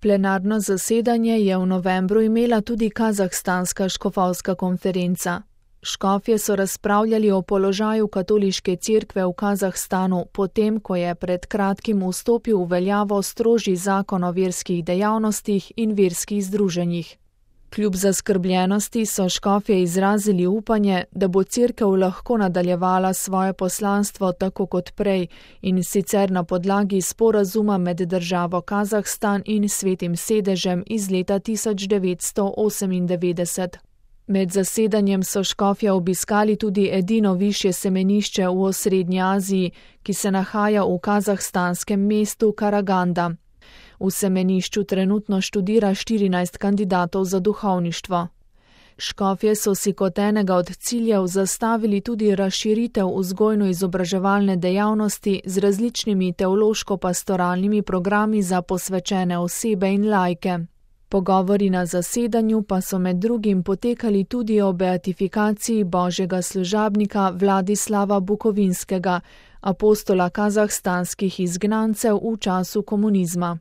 Plenarno zasedanje je v novembru imela tudi Kazahstanska škofovska konferenca. Škofje so razpravljali o položaju katoliške cerkve v Kazahstanu, potem ko je pred kratkim vstopil v veljavo strožji zakon o verskih dejavnostih in verskih združenjih. Kljub zaskrbljenosti so škofje izrazili upanje, da bo cerkev lahko nadaljevala svoje poslanstvo tako kot prej, in sicer na podlagi sporazuma med državo Kazahstan in Svetim sedežem iz leta 1998. Med zasedanjem so škofje obiskali tudi edino višje semenišče v osrednji Aziji, ki se nahaja v kazahstanskem mestu Karaganda. V semenišču trenutno študira 14 kandidatov za duhovništvo. Škofje so si kot enega od ciljev zastavili tudi razširitev vzgojno-izobraževalne dejavnosti z različnimi teološko-pastoralnimi programi za posvečene osebe in laike. Pogovori na zasedanju pa so med drugim potekali tudi o beatifikaciji božjega služabnika Vladislava Bukovinskega, apostola kazahstanskih izgnancev v času komunizma.